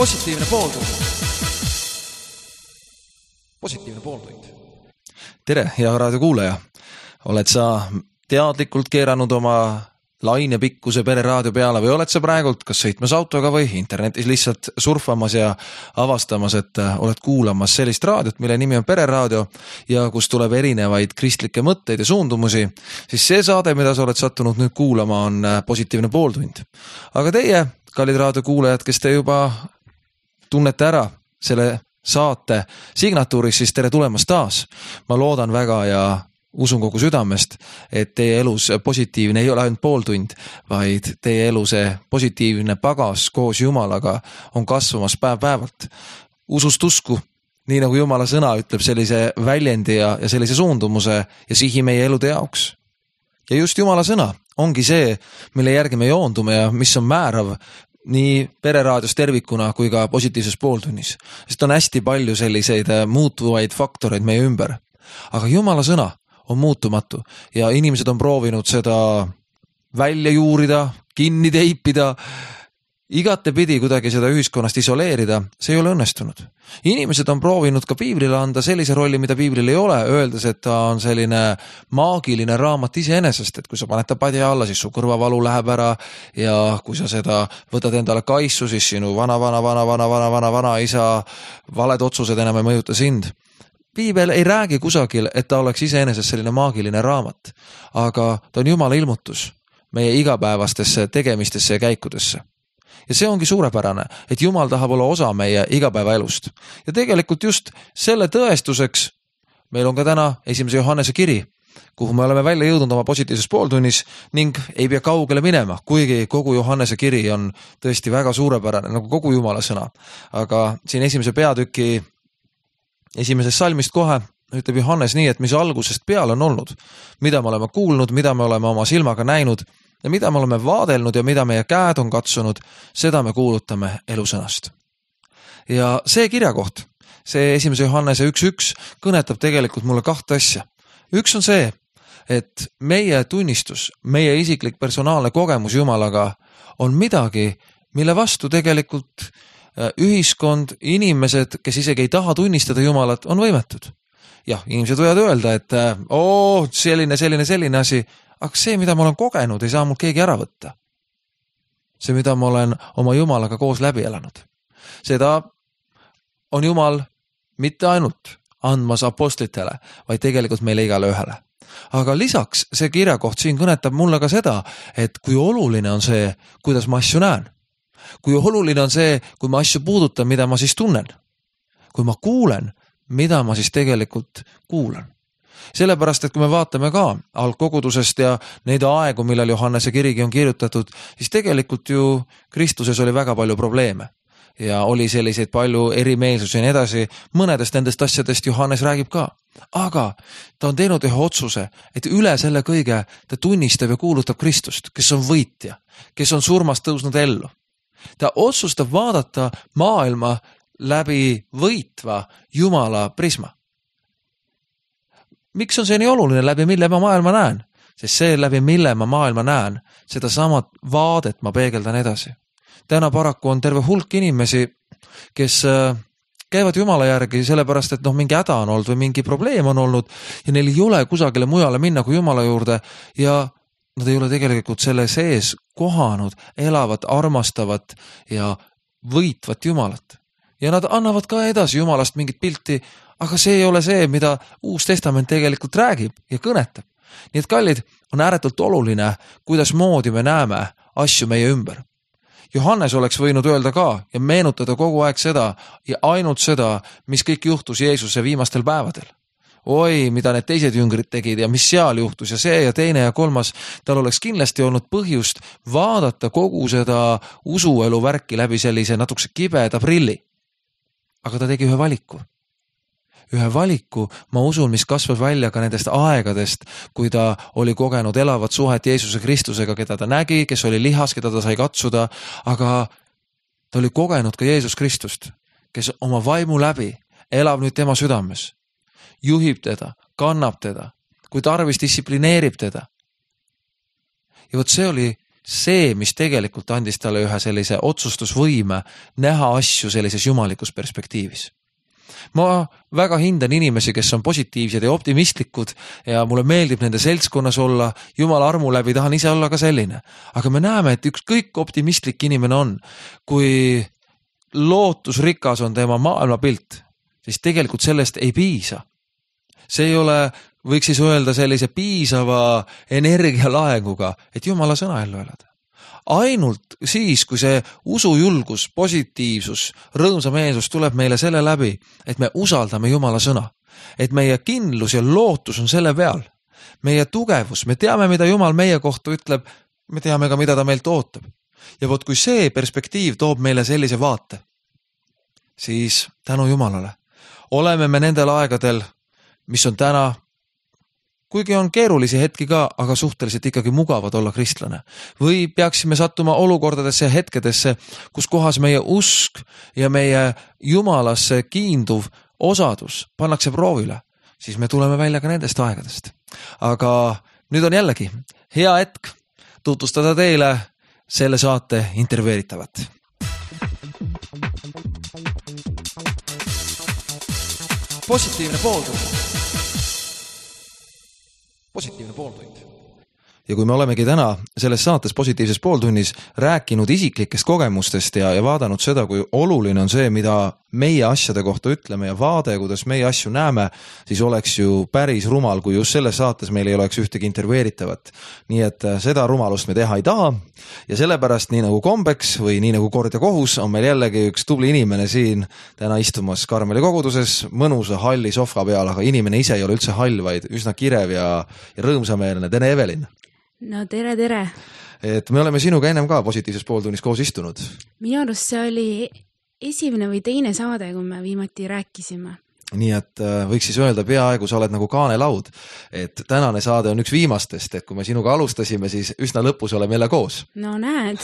Positiivne pooltund. Positiivne pooltund. Tere, hea raadiokuulaja. Oled sa teadlikult keeranud oma lainepikkuse pereraadio peale või oled sa praegult kas sõitmas autoga või internetis lihtsalt surfamas ja avastamas, et oled kuulamas sellist raadiot, mille nimi on Pereraadio ja kus tuleb erinevaid kristlikke mõtteid ja suundumusi, siis see saade, mida sa oled sattunud nüüd kuulama, on Positiivne pooltund. Aga teie, kallid raadiokuulajad, kes te juba tunnete ära selle saate signatuuris, siis tere tulemast taas. Ma loodan väga ja usun kogu südamest, et teie elus positiivne ei ole ainult pooltund, vaid teie elu see positiivne pagas koos Jumalaga on kasvamas päev-päevalt. Usust usku, nii nagu Jumala sõna ütleb sellise väljendi ja sellise suundumuse ja sihi meie elude jaoks. Ja just Jumala sõna ongi see, mille järgi me joondume ja mis on määrav nii pereraadios tervikuna kui ka positiivses pooltunnis. Sest on hästi palju selliseid muutuvaid faktoreid meie ümber. Aga Jumala sõna on muutumatu ja inimesed on proovinud seda välja juurida, kinni teipida, igatepidi kuidagi seda ühiskonnast isoleerida, see ei ole õnnestunud. Inimesed on proovinud ka piiblile anda sellise rolli, mida piiblil ei ole, öeldes, et ta on selline maagiline raamat iseenesest, et kui sa paned ta padja alla, siis su kõrvavalu läheb ära ja kui sa seda võtad endale kaissu, siis sinu vana isa valed otsused enam ei mõjuta sind. Piibel ei räägi kusagil, et ta oleks iseenesest selline maagiline raamat, aga ta on Jumala ilmutus meie igapäevastesse tegemistesse ja käikudesse. Ja see ongi suurepärane, et Jumal tahab olla osa meie igapäevaelust. Ja tegelikult just selle tõestuseks meil on ka täna 1. Johannese kiri, kuhu me oleme välja jõudnud oma positiivses pooltunnis ning ei pea kaugele minema, kuigi kogu Johannese kiri on tõesti väga suurepärane, nagu kogu Jumala sõna. Aga siin 1. peatüki 1. salmist kohe ütleb Johannes nii, et mis algusest peale on olnud, mida me oleme kuulnud, mida me oleme oma silmaga näinud ja mida me oleme vaadelnud ja mida meie käed on katsunud, seda me kuulutame elusõnast. Ja see kirjakoht, see 1. Johannese 1.1 kõnetab tegelikult mulle 2 asja. Üks on see, et meie tunnistus, meie isiklik personaalne kogemus Jumalaga on midagi, mille vastu tegelikult ühiskond, inimesed, kes isegi ei taha tunnistada Jumalat, on võimetud. Jah, inimesed võivad öelda, et selline asi, aga see, mida ma olen kogenud, ei saa mul keegi ära võtta. See, mida ma olen oma Jumalaga koos läbi elanud. Seda on Jumal mitte ainult andmas apostlitele, vaid tegelikult meile igale ühele. Aga lisaks see kirjakoht siin kõnetab mulle ka seda, et kui oluline on see, kuidas ma asju näen. Kui oluline on see, kui ma asju puudutan, mida ma siis tunnen. Kui ma kuulen, mida ma siis tegelikult kuulan. Sellepärast, et kui me vaatame ka algkogudusest ja neid aegu, millal Johannese kirigi on kirjutatud, siis tegelikult ju Kristuses oli väga palju probleeme ja oli selliseid palju erimeelsusi ja nii edasi. Mõnedest nendest asjadest Johannes räägib ka. Aga ta on teinud ühe otsuse, et üle selle kõige ta tunnistab ja kuulutab Kristust, kes on võitja, kes on surmast tõusnud ellu. Ta otsustab vaadata maailma läbi võitva Jumala prisma. Miks on see nii oluline, läbi mille ma maailma näen? Sest see, läbi mille ma maailma näen, seda samat vaadet ma peegeldan edasi. Täna paraku on terve hulk inimesi, kes käivad Jumala järgi sellepärast, et mingi häda on olnud või mingi probleem on olnud ja neil ei ole kusagile mujale minna kui Jumala juurde ja nad ei ole tegelikult selle sees kohanud, elavat, armastavat ja võitvat Jumalat. Ja nad annavad ka edasi Jumalast mingit pilti, aga see ei ole see, mida Uus Testament tegelikult räägib ja kõnetab. Nii et kallid, on ääretult oluline, kuidas moodi me näeme asju meie ümber. Johannes oleks võinud öelda ka ja meenutada kogu aeg seda ja ainult seda, mis kõik juhtus Jeesuse viimastel päevadel. Oi, mida need teised jüngrid tegid ja mis seal juhtus ja see ja teine ja kolmas, tal oleks kindlasti olnud põhjust vaadata kogu seda usuelu värki läbi sellise natukese kibeda prilli. Aga ta tegi ühe valiku. Ühe valiku, ma usun, mis kasvas välja ka nendest aegadest, kui ta oli kogenud elavat suhet Jeesuse Kristusega, keda ta nägi, kes oli lihas, keda ta sai katsuda, aga ta oli kogenud ka Jeesus Kristust, kes oma vaimu läbi elab nüüd tema südames, juhib teda, kannab teda, kui tarvis distsiplineerib teda. Ja vot see oli see, mis tegelikult andis talle ühe sellise otsustusvõime näha asju sellises jumalikus perspektiivis. Ma väga hindan inimesi, kes on positiivsed ja optimistlikud ja mulle meeldib nende seltskonnas olla, Jumala armu läbi tahan ise olla ka selline. Aga me näeme, et ükskõik optimistlik inimene on, kui lootusrikas on tema maailmapilt, siis tegelikult sellest ei piisa. See ei ole, võiks siis öelda sellise piisava energialaenguga, et Jumala sõna ellu elada. Ainult siis, kui see usujulgus, positiivsus, rõõmsameelsus tuleb meile selle läbi, et me usaldame Jumala sõna, et meie kindlus ja lootus on selle peal, meie tugevus, me teame, mida Jumal meie kohta ütleb, me teame ka, mida ta meilt ootab. Ja vot kui see perspektiiv toob meile sellise vaate, siis tänu Jumalale oleme me nendel aegadel, mis on täna, kuigi on keerulisi hetki ka, aga suhteliselt ikkagi mugavad olla kristlane. Või peaksime sattuma olukordadesse ja hetkedesse, kus kohas meie usk ja meie Jumalasse kiinduv osadus pannakse proovile, siis me tuleme välja ka nendest aegadest. Aga nüüd on jällegi hea hetk tutvustada teile selle saate intervjueeritavat. Positiivne pooltund. Ja kui me olemegi täna selles saates positiivses pooltunnis rääkinud isiklikest kogemustest ja vaadanud seda, kui oluline on see, mida meie asjade kohta ütleme ja vaade, kuidas meie asju näeme, siis oleks ju päris rumal, kui just selles saates meil ei oleks ühtegi intervjueeritavat. Nii et seda rumalust me teha ei taha ja sellepärast nii nagu kombeks või nii nagu kord ja kohus on meil jällegi üks tubli inimene siin täna istumas Karmeli koguduses mõnusa halli sohva peal, aga inimene ise ei ole üldse hall, vaid üsna kirev ja rõõmsameelne. Tere, Evelin! No tere! Et me oleme sinuga ennem ka positiivses pooltunnis koos istunud. Minu arust see oli esimene või teine saade, kui me viimati rääkisime. Nii et võiks siis öelda peaaegu, sa oled nagu kaanelaud, et tänane saade on üks viimastest, et kui me sinuga alustasime, siis üsna lõpus oleme jälle koos. No näed.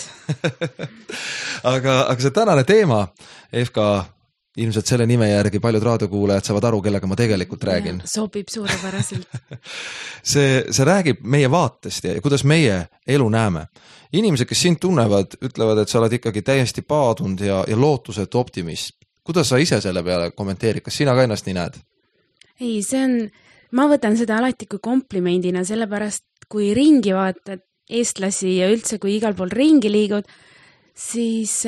aga see tänane teema, Evka, ilmselt selle nime järgi paljud raadiokuulajad saavad aru, kellega ma tegelikult räägin. Ja, sobib suurepäraselt. see räägib meie vaatest ja kuidas meie elu näeme. Inimesed, kes sind tunnevad, ütlevad, et sa oled ikkagi täiesti paadunud ja lootusetu optimist. Kuidas sa ise selle peale kommenteerid? Kas sina ka ennast nii näed? Ei, ma võtan seda alati kui komplimendina, sellepärast kui ringi vaatad eestlasi ja üldse kui igal pool ringi liigud, siis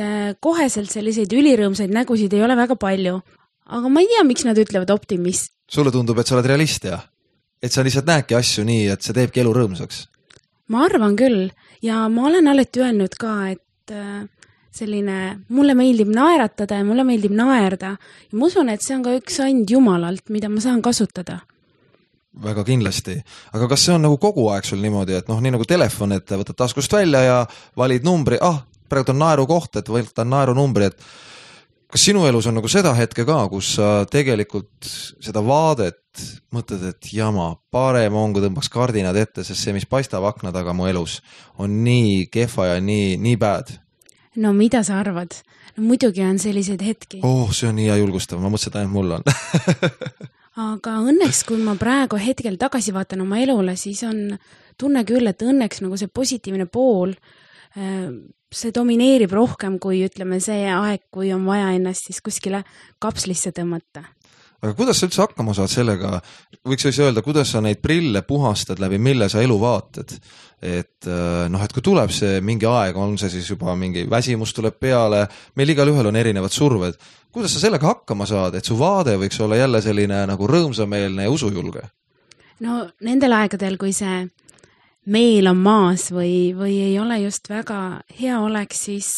koheselt selliseid ülirõõmsaid nägusid ei ole väga palju. Aga ma ei tea, miks nad ütlevad optimist. Sulle tundub, et sa oled realist ja? Et sa lihtsalt näedki asju nii, et see teebki elu rõõmsaks? Ma arvan küll ja ma olen alati öelnud ka, et mulle meeldib naeratada ja mulle meeldib naerda. Ja ma usun, et see on ka üks and Jumalalt, mida ma saan kasutada. Väga kindlasti. Aga kas see on nagu kogu aeg sul niimoodi, et nii nagu telefon, et võtad taskust välja ja valid numbri, praegu on naeru koht, et võtan naeru numbri, et kas sinu elus on nagu seda hetke ka, kus sa tegelikult seda vaadet mõtled, et jama, parem on, kui tõmbaks kardinad ette, sest see, mis paistab akna taga mu elus, on nii kehva ja nii bad? No mida sa arvad? No, muidugi on selliseid hetki. See on nii hea julgustav, ma mõtlesin, et ainult mul on. Aga õnneks, kui ma praegu hetkel tagasi vaatan oma elule, siis on tunne küll, et õnneks nagu see positiivne pool, see domineerib rohkem kui ütleme see aeg, kui on vaja ennast siis kuskile kapslisse tõmmata. Aga kuidas sa üldse hakkama saad sellega, võiks siis öelda, kuidas sa neid prille puhastad läbi, mille sa elu vaatad? Et kui tuleb see mingi aeg, on see siis juba mingi väsimus tuleb peale, meil igal ühel on erinevad surved. Kuidas sa sellega hakkama saad, et su vaade võiks olla jälle selline nagu rõõmsameelne ja usujulge? No nendel aegadel, kui see meel on maas või ei ole just väga hea oleks, siis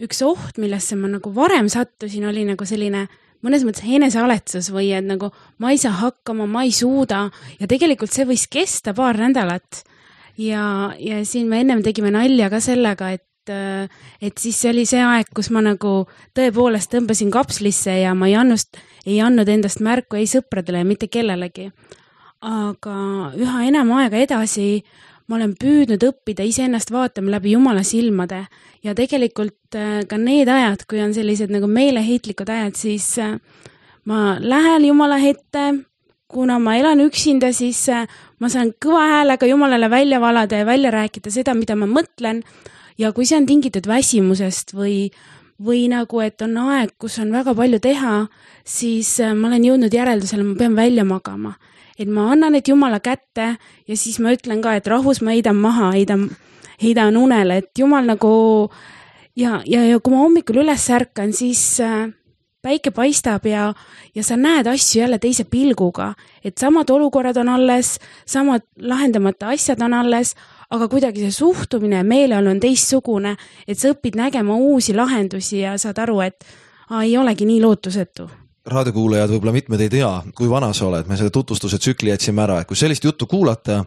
üks oht, millesse ma nagu varem sattusin, oli nagu selline mõnes mõttes enesealetsus või et nagu ma ei saa hakkama, ma ei suuda ja tegelikult see võis kesta paar nädalat ja siin me ennem tegime nalja ka sellega, et siis see oli see aeg, kus ma nagu tõepoolest tõmbasin kapslisse ja ma ei andnud endast märku ei sõpradele ja mitte kellelegi. Aga üha enam aega edasi ma olen püüdnud õppida iseennast vaatama läbi Jumala silmade ja tegelikult ka need ajad, kui on sellised nagu meeleheitlikud ajad, siis ma lähen Jumala ette, kuna ma elan üksinda, siis ma saan kõva häälega Jumalale välja valada ja välja rääkida seda, mida ma mõtlen. Ja kui see on tingitud väsimusest või nagu, et on aeg, kus on väga palju teha, siis ma olen jõudnud järeldusele, ma pean välja magama. Et ma annan need Jumala kätte ja siis ma ütlen ka, et rahus ma heidan maha, heidan unele, et Jumal nagu ja kui ma hommikul üles ärkan, siis päike paistab ja sa näed asju jälle teise pilguga, et samad olukorrad on alles, samad lahendamata asjad on alles, aga kuidagi see suhtumine ja meeleolu on teistsugune, et sa õpid nägema uusi lahendusi ja saad aru, et ei olegi nii lootusetu. Raadiokuulajad võib-olla mitmed ei tea, kui vana sa oled, me selle tutvustuse tsükli jätsime ära, et kui sellist juttu kuulata,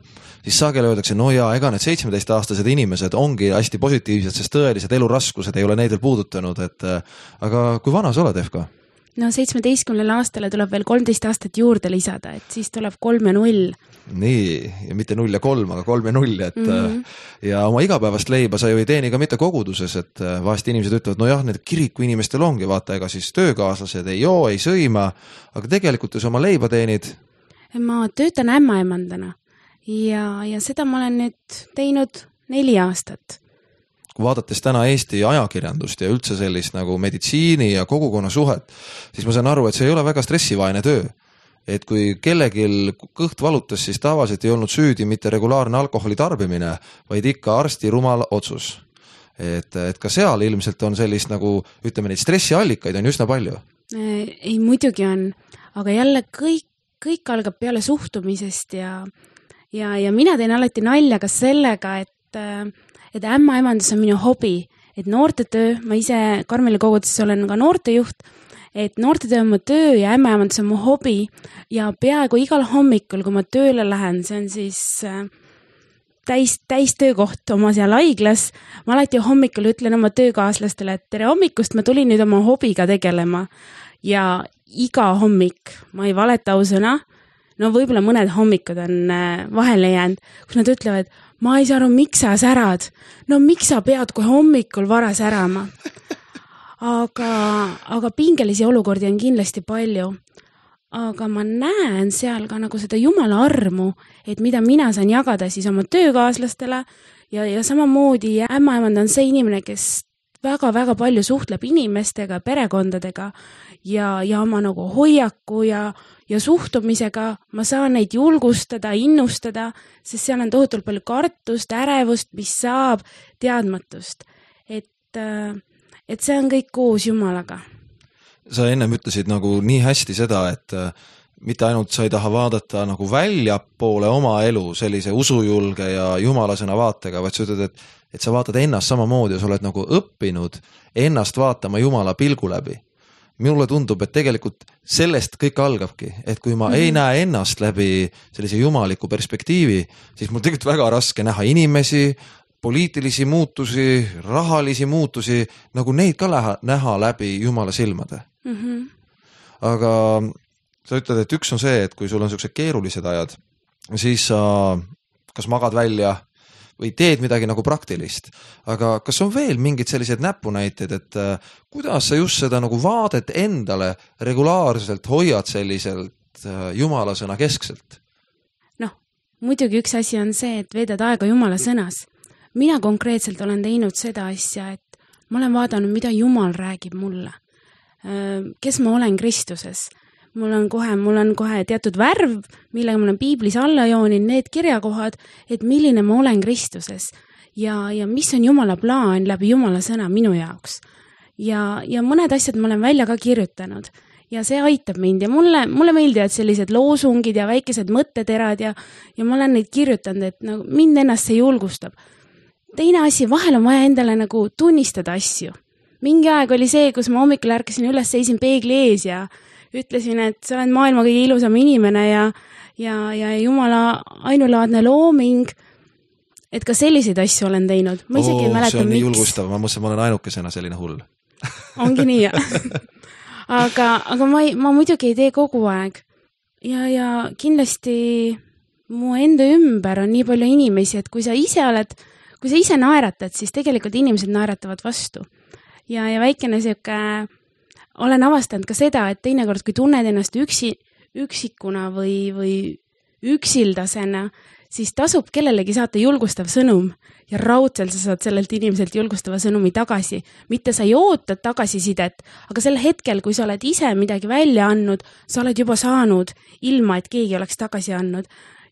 siis sageli öeldakse, no jaa, ega need 17-aastased inimesed ongi hästi positiivsed, sest tõelised eluraskused ei ole neid veel puudutanud, aga kui vana sa oled, Efka? No 17 aastale tuleb veel 13 aastat juurde lisada, et siis tuleb 3 ja 0. Nii, ja mitte 0 ja 3, aga 3 ja 0, ja oma igapäevast leiba sa ju ei teeni ka mitte koguduses, et vahest inimesed ütlevad, no jah, need kiriku inimestel ongi, vaata, ega siis töökaaslased ei joo, ei sõima, aga tegelikult ju sa oma leiba teenid. Ma töötan ämmaemandana ja seda ma olen nüüd teinud 4 aastat. Kui vaadates täna Eesti ajakirjandust ja üldse sellist nagu meditsiini ja kogukonna suhet, siis ma saan aru, et see ei ole väga stressivaene töö. Et kui kellegil kõht valutas, siis tavaliselt ei olnud süüdi mitte regulaarne alkoholi tarbimine, vaid ikka arsti rumal otsus. Et ka seal ilmselt on sellist nagu, ütleme, neid stressiallikaid on üsna palju. Ei, muidugi on, aga jälle kõik algab peale suhtumisest ja mina teen alati nalja ka sellega, et ämmaemandus on minu hobi, et noortetöö, ma ise Karmeli koguduses olen ka noortejuht, et noortetöö on mu töö ja ämmaemandus on mu hobi ja peaaegu igal hommikul, kui ma tööle lähen, see on siis täis töökoht oma seal haiglas, ma alati hommikul ütlen oma töökaaslastele, et tere hommikust, ma tulin nüüd oma hobiga tegelema ja iga hommik, ma ei valeta ausõna, no võib-olla mõned hommikud on vahele jäänud, kus nad ütlevad, ma ei saa aru, miks sa särad. No miks sa pead kohe hommikul vara särama? Aga pingelisi olukordi on kindlasti palju. Aga ma näen seal ka nagu seda Jumala armu, et mida mina saan jagada siis oma töökaaslastele ja samamoodi ämmaemand on see inimene, kes väga-väga palju suhtleb inimestega, perekondadega ja oma nagu hoiaku ja suhtumisega ma saan neid julgustada, innustada, sest seal on tohutult palju kartust, ärevust, mis saab, teadmatust. Et see on kõik koos Jumalaga. Sa ennem ütlesid nagu nii hästi seda, et mitte ainult sa ei taha vaadata nagu väljapoole oma elu sellise usujulge ja jumalasõna vaatega, vaid sa ütled, et sa vaatad ennast samamoodi ja sa oled nagu õppinud ennast vaatama Jumala pilgu läbi. Minule tundub, et tegelikult sellest kõik algabki, et kui ma ei näe ennast läbi sellise jumaliku perspektiivi, siis mul tegelikult väga raske näha inimesi, poliitilisi muutusi, rahalisi muutusi, nagu neid ka näha läbi Jumala silmade. Aga sa ütled, et üks on see, et kui sul on sellised keerulised ajad, siis sa kas magad välja või teed midagi nagu praktilist. Aga kas on veel mingid sellised näpunäited, et kuidas sa just seda nagu vaadet endale regulaarselt hoiad selliselt Jumalasõna keskselt? Noh, muidugi üks asi on see, et veedad aega Jumala sõnas. Mina konkreetselt olen teinud seda asja, et ma olen vaadanud, mida Jumal räägib mulle. Kes ma olen Kristuses. Mul on kohe teatud värv, millega ma olen piiblis alla joonin, need kirjakohad, et milline ma olen Kristuses ja mis on Jumala plaan läbi Jumala sõna minu jaoks. Ja mõned asjad ma olen välja ka kirjutanud ja see aitab mind ja mulle meeldivad sellised loosungid ja väikesed mõtteterad ja ma olen neid kirjutanud, et nagu mind ennast see julgustab. Teine asi, vahel on vaja endale nagu tunnistada asju. Mingi aeg oli see, kus ma hommikul ärkasin üles, seisin peegli ees ja ütlesin, et sa oled maailma kõige ilusam inimene ja Jumala ainulaadne looming, et ka selliseid asju olen teinud. Ma isegi ei mäleta, see on nii miks. julgustav, ma mõtlesin, ma olen ainukesena selline hull. Ongi nii, aga ma muidugi ei tee kogu aeg. Ja kindlasti mu enda ümber on nii palju inimesi, et kui sa ise naeratad, siis tegelikult inimesed naeratavad vastu. Ja väikene siuke, olen avastanud ka seda, et teinekord, kui tunned ennast üksikuna või üksildasena, siis tasub kellelegi saata julgustav sõnum ja raudselt sa saad sellelt inimeselt julgustava sõnumi tagasi. Mitte sa ei oota tagasisidet, aga sel hetkel, kui sa oled ise midagi välja andnud, sa oled juba saanud ilma, et keegi oleks tagasi andnud.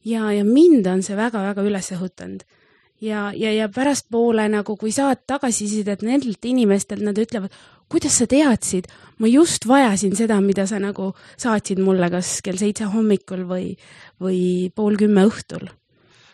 Ja mind on see väga-väga üles õhutanud. Ja pärastpoole nagu, kui saad tagasisidet nendelt inimestelt, nad ütlevad, kuidas sa teadsid? Ma just vajasin seda, mida sa nagu saatsid mulle kas kell 7 hommikul või 9:30 õhtul.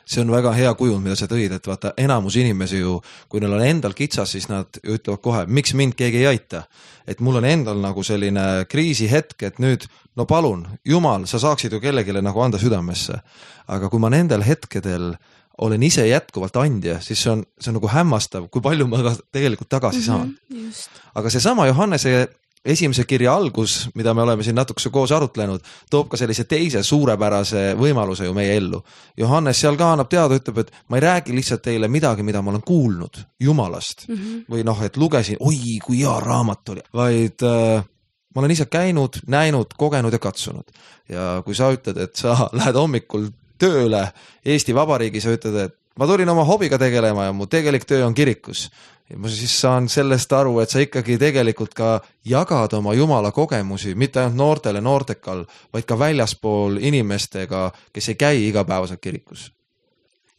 See on väga hea kujund, mida sa tõid, et vaata enamus inimesi ju, kui neil on endal kitsas, siis nad ütlevad kohe, miks mind keegi ei aita. Et mul on endal nagu selline kriisihetk, et nüüd, no palun, Jumal, sa saaksid ju kellegile nagu anda südamesse. Aga kui ma nendel hetkedel olen ise jätkuvalt andja, siis see on nagu hämmastav, kui palju ma tegelikult tagasi saan. Just. Aga seesama Johannese esimese kirja algus, mida me oleme siin natukese koos arutlenud, toob ka sellise teise suurepärase võimaluse ju meie ellu. Johannes seal ka annab teada, ütleb, et ma ei räägi lihtsalt teile midagi, mida ma olen kuulnud Jumalast. Või noh, et lugesin, oi, kui hea raamat oli, vaid ma olen ise käinud, näinud, kogenud ja katsunud. Ja kui sa ütled, et sa lähed hommikul tööle Eesti Vabariigis ja ütled, et ma tulin oma hobiga tegelema ja mu tegelik töö on kirikus. Ja ma siis saan sellest aru, et sa ikkagi tegelikult ka jagad oma Jumala kogemusi, mitte ainult noortele noortekal, vaid ka väljaspool inimestega, kes ei käi igapäevaselt kirikus.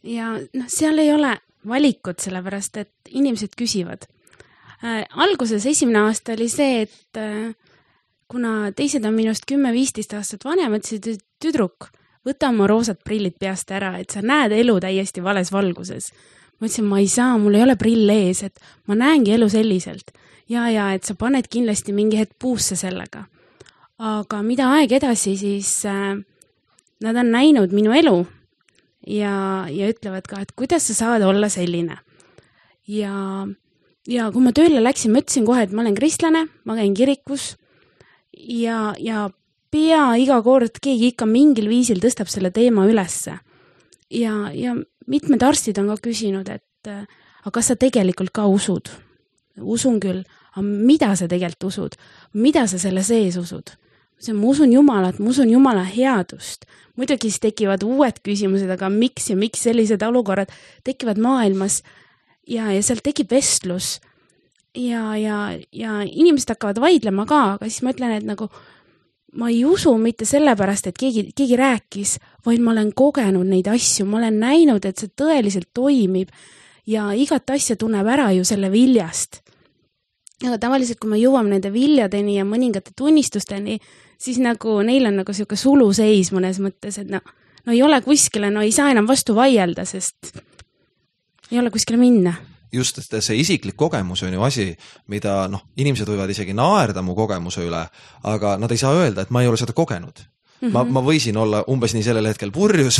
Ja seal ei ole valikut, sellepärast, et inimesed küsivad. Alguses esimene aasta oli see, et kuna teised on minust 10-15 aastat vanemad, siis tüdruk, võta oma roosad prillid peast ära, et sa näed elu täiesti vales valguses. Ma ütlesin, ma ei saa, mul ei ole prill ees, et ma näengi elu selliselt. Ja, et sa paned kindlasti mingi hetk puusse sellega. Aga mida aeg edasi, siis nad on näinud minu elu ja ütlevad ka, et kuidas sa saad olla selline. Ja kui ma tööle läksin, ma ütlesin kohe, et ma olen kristlane, ma käin kirikus ja pea iga kord keegi ikka mingil viisil tõstab selle teema ülesse. Ja mitmed arstid on ka küsinud, et aga kas sa tegelikult ka usud? Usun küll, aga mida sa tegelikult usud? Mida sa selle sees usud? Ma usun Jumalat, ma usun Jumala headust. Muidugi siis tekivad uued küsimused, aga miks sellised olukorrad tekivad maailmas ja seal tekib vestlus ja inimesed hakkavad vaidlema ka, aga siis ma ütlen, et nagu ma ei usu mitte sellepärast, et keegi rääkis, vaid ma olen kogenud neid asju, ma olen näinud, et see tõeliselt toimib ja igat asja tunneb ära ju selle viljast. Aga tavaliselt, kui me jõuame nende viljadeni ja mõningate tunnistusteni, siis nagu neil on nagu selline suluseis mõnes mõttes, et no ei ole kuskile, no ei saa enam vastu vaielda, sest ei ole kuskile minna. Just, et see isiklik kogemus on ju asi, mida inimesed võivad isegi naerda mu kogemuse üle, aga nad ei saa öelda, et ma ei ole seda kogenud. Ma võisin olla umbes nii sellel hetkel purjus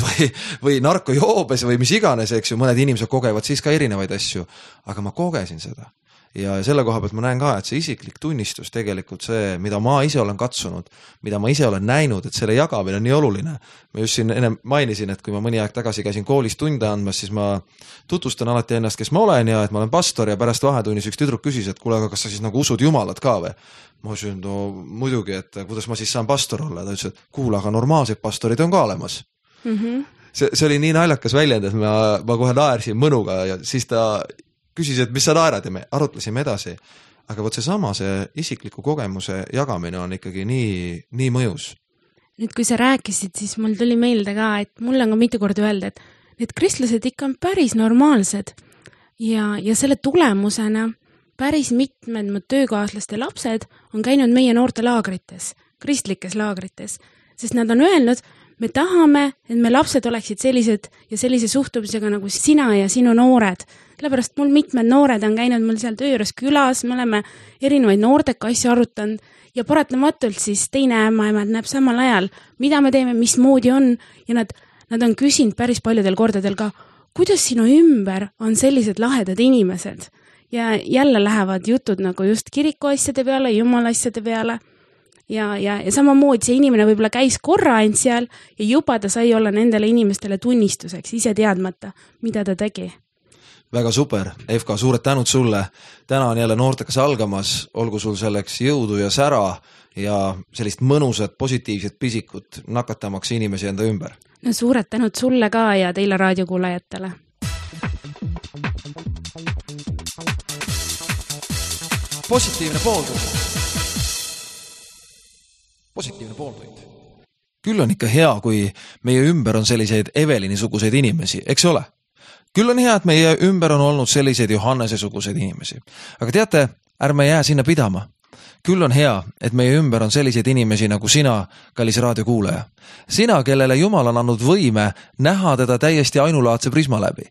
või narkojoobes või mis iganes, eks ju, mõned inimesed kogevad siis ka erinevaid asju, aga ma kogesin seda. Ja selle koha pealt ma näen ka, et see isiklik tunnistus tegelikult see, mida ma ise olen katsunud, mida ma ise olen näinud, et selle jagamine on nii oluline. Ma just siin enne mainisin, et kui ma mõni aeg tagasi käisin koolis tunde andmas, siis ma tutvustan alati ennast, kes ma olen ja et ma olen pastor ja pärast vahetunnis üks tüdruk küsis, et kuule, aga kas sa siis nagu usud Jumalat ka või? Ma ütlesin, no muidugi, et kuidas ma siis saan pastor olla? Ta ütles, et kuule, aga normaalsed pastorid on ka olemas. See oli nii naljakas väljend, et ma kohe naersin mõnuga ja siis ta küsis, et mis sa naerad ja me arutlesime edasi. Aga võt see isikliku kogemuse jagamine on ikkagi nii mõjus. Nüüd, kui sa rääkisid, siis mul tuli meelde ka, et mul on ka mitu korda öelda, et need kristlased ikka on päris normaalsed ja selle tulemusena päris mitmed mu töökaaslaste lapsed on käinud meie noorte laagrites, kristlikes laagrites, sest nad on öelnud, me tahame, et me lapsed oleksid sellised ja sellise suhtumisega nagu sina ja sinu noored. Sellepärast mul mitmed noored on käinud mul seal töö juures külas, me oleme erinevaid noorteka asju arutanud ja paratamatult siis teine ämmaemad näeb samal ajal, mida me teeme, mis moodi on ja nad on küsinud päris paljudel kordadel ka, kuidas sinu ümber on sellised lahedad inimesed ja jälle lähevad jutud nagu just kiriku asjade peale, Jumala asjade peale. Ja samamoodi see inimene võib-olla käis korra ainult seal ja juba ta sai olla nendele inimestele tunnistuseks, ise teadmata, mida ta tegi. Väga super, FK, suured tänud sulle. Täna on jälle noortekas algamas, olgu sul selleks jõudu ja sära ja sellist mõnusat positiivset pisikut nakatamaks inimesi enda ümber. No suured tänud sulle ka ja teile raadiokuulajatele. Positiivne pooltund. Positiivne pooltund. Küll on ikka hea, kui meie ümber on selliseid Evelini-suguseid inimesi, eks ole? Küll on hea, et meie ümber on olnud selliseid Johannese-suguseid inimesi. Aga teate, ärme jää sinna pidama. Küll on hea, et meie ümber on selliseid inimesi nagu sina, kallis raadiokuulaja. Sina, kellele Jumal on andnud võime näha teda täiesti ainulaadse prisma läbi.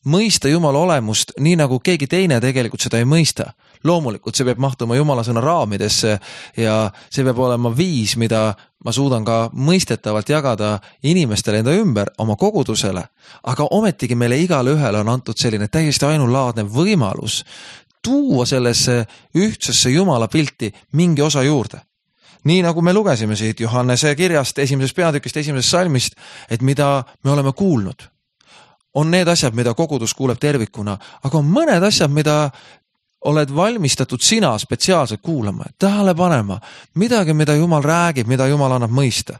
Mõista Jumala olemust nii nagu keegi teine tegelikult seda ei mõista. Loomulikult see peab mahtuma Jumala sõna raamidesse ja see peab olema viis, mida ma suudan ka mõistetavalt jagada inimestele enda ümber, oma kogudusele. Aga ometigi meile igale ühele on antud selline täiesti ainulaadne võimalus tuua sellesse ühtsesse Jumala pilti mingi osa juurde. Nii nagu me lugesime siit Johannese kirjast, 1. peatükist, 1. salmist, et mida me oleme kuulnud. On need asjad, mida kogudus kuuleb tervikuna, aga on mõned asjad, mida oled valmistatud sina spetsiaalselt kuulama, tähele panema, midagi, mida Jumal räägib, mida Jumal annab mõista.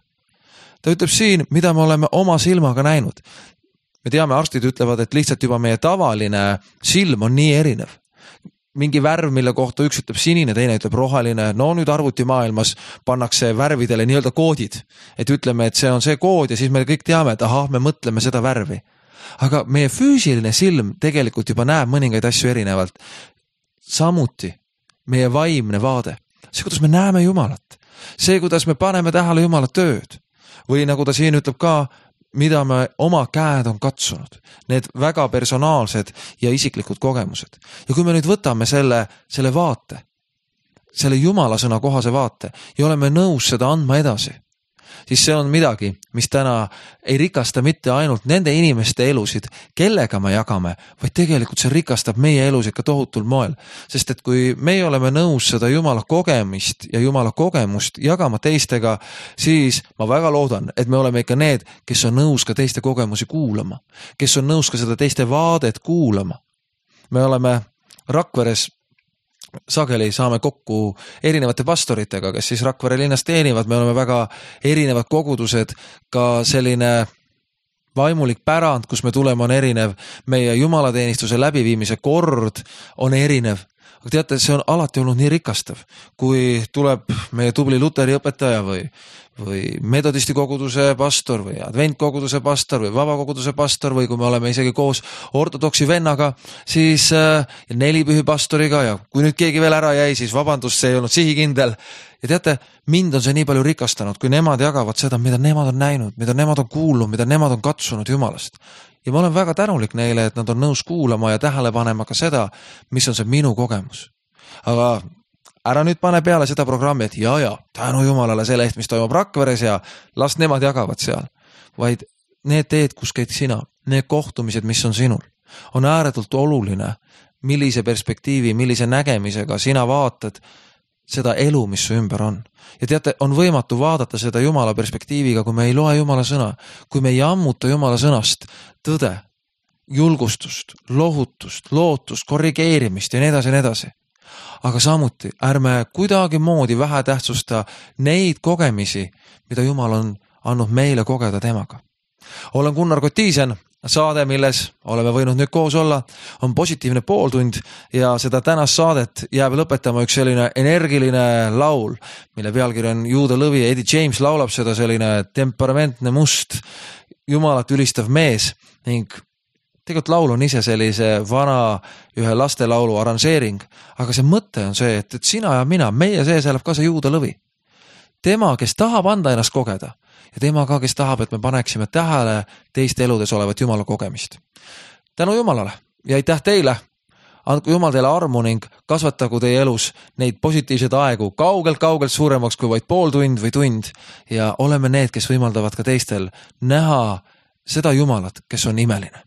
Ta ütleb siin, mida me oleme oma silmaga näinud. Me teame, arstid ütlevad, et lihtsalt juba meie tavaline silm on nii erinev. Mingi värv, mille kohta üks ütleb sinine, teine ütleb roheline. No nüüd arvutimaailmas pannakse värvidele nii-öelda koodid. Et ütleme, et see on see kood ja siis me kõik teame, et ahah, me mõtleme seda värvi. Aga meie füüsiline silm tegelikult juba näeb mõningaid asju erinevalt. Samuti meie vaimne vaade. See, kuidas me näeme Jumalat. See, kuidas me paneme tähele Jumala tööd. Või nagu ta siin ütleb ka, mida me oma käed on katsunud. Need väga personaalsed ja isiklikud kogemused. Ja kui me nüüd võtame selle vaate, selle Jumala sõna kohase vaate ja oleme nõus seda andma edasi, siis see on midagi, mis täna ei rikasta mitte ainult nende inimeste elusid, kellega me jagame, vaid tegelikult see rikastab meie elusid ka tohutul moel. Sest et kui meie oleme nõus seda Jumala kogemist ja Jumala kogemust jagama teistega, siis ma väga loodan, et me oleme ikka need, kes on nõus ka teiste kogemusi kuulama, kes on nõus ka seda teiste vaadet kuulama. Me oleme Rakveres sageli saame kokku erinevate pastoritega, kes siis Rakvere linnas teenivad. Me oleme väga erinevad kogudused, ka selline vaimulik pärand, kus me tuleme, on erinev. Meie jumalateenistuse läbiviimise kord on erinev. Aga teate, see on alati olnud nii rikastav, kui tuleb meie tubli luteri õpetaja või metodisti koguduse pastor või adventkoguduse pastor või vabakoguduse pastor või kui me oleme isegi koos ortodoksi vennaga, siis 4 pühi pastoriga ja kui nüüd keegi veel ära jäi, siis vabandust, see ei olnud sihikindel. Ja teate, mind on see nii palju rikastanud, kui nemad jagavad seda, mida nemad on näinud, mida nemad on kuulnud, mida nemad on katsunud Jumalast. Ja ma olen väga tänulik neile, et nad on nõus kuulama ja tähele panema ka seda, mis on see minu kogemus. Aga ära nüüd pane peale seda programmi, et ja, tänu Jumalale selle eest, mis toimub Rakveres ja las nemad jagavad seal. Vaid need teed, kus käid sina, need kohtumised, mis on sinul, on ääretult oluline, millise perspektiivi, millise nägemisega sina vaatad seda elu, mis su ümber on. Ja teate, on võimatu vaadata seda Jumala perspektiiviga, kui me ei loe Jumala sõna, kui me ei ammuta Jumala sõnast tõde, julgustust, lohutust, lootust, korrigeerimist ja nii edasi ja nii edasi. Aga samuti ärme kuidagi moodi vähe tähtsusta neid kogemisi, mida Jumal on andnud meile kogeda temaga. Olen Gunnar Kotiisen, saade, milles oleme võinud nüüd koos olla, on positiivne pooltund ja seda tänast saadet jääb lõpetama üks selline energiline laul, mille pealkiri on Juuda lõvi. Eddie James laulab seda, selline temperamentne must, Jumalat ülistav mees ning tegelikult laul on ise sellise vana ühe lastelaulu aranžeering, aga see mõte on see, et sina ja mina, meie sees elab ka see Juuda lõvi. Tema, kes tahab anda ennast kogeda ja tema ka, kes tahab, et me paneksime tähele teiste eludes olevat Jumala kogemist. Tänu Jumalale ja aitäh teile. Andku Jumal teile armu ning kasvatagu teie elus neid positiivseid aegu kaugelt suuremaks kui vaid pool tund või tund ja oleme need, kes võimaldavad ka teistel näha seda Jumalat, kes on imeline.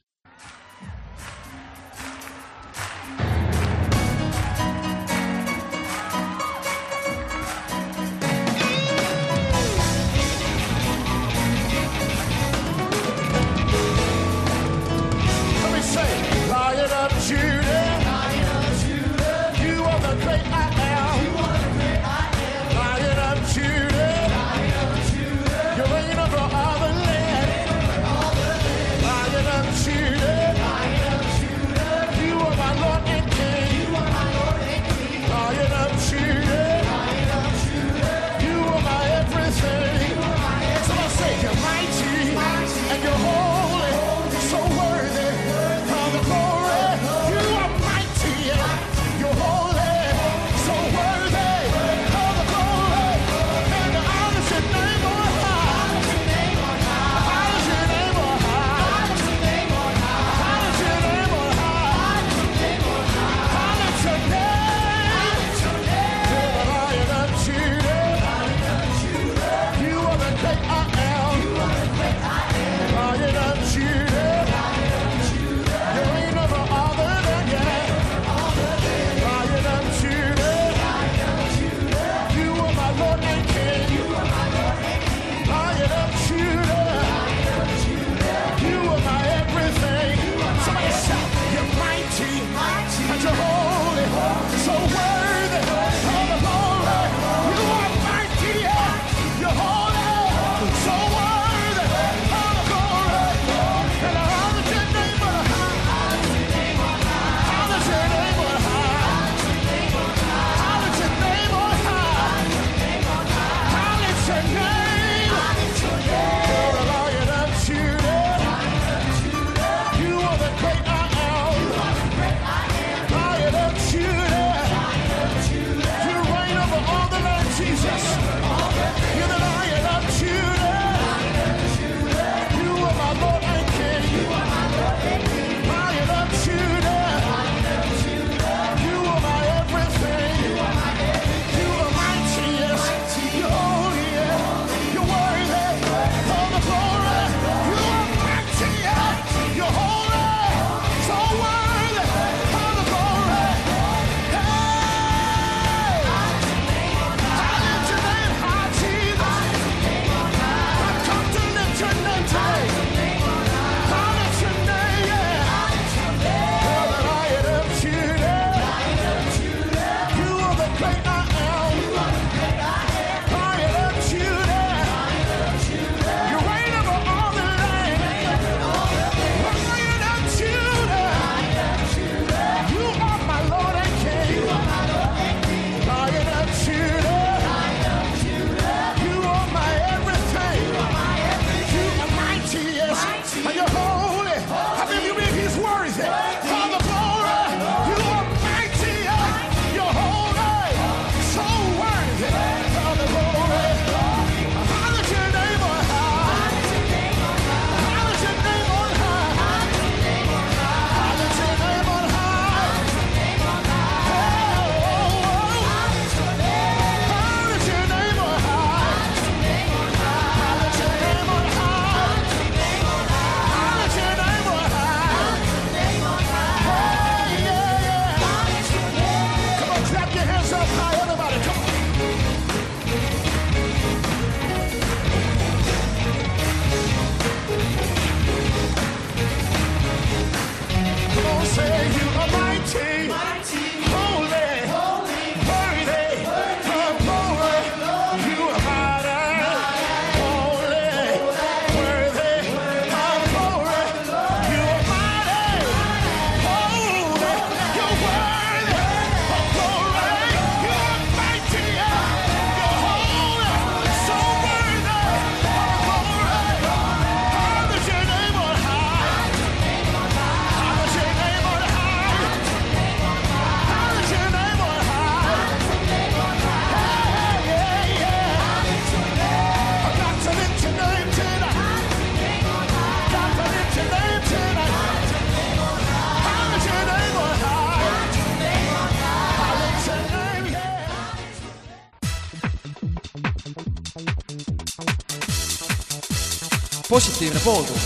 positiivne pooltund.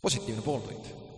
positiivne pooltund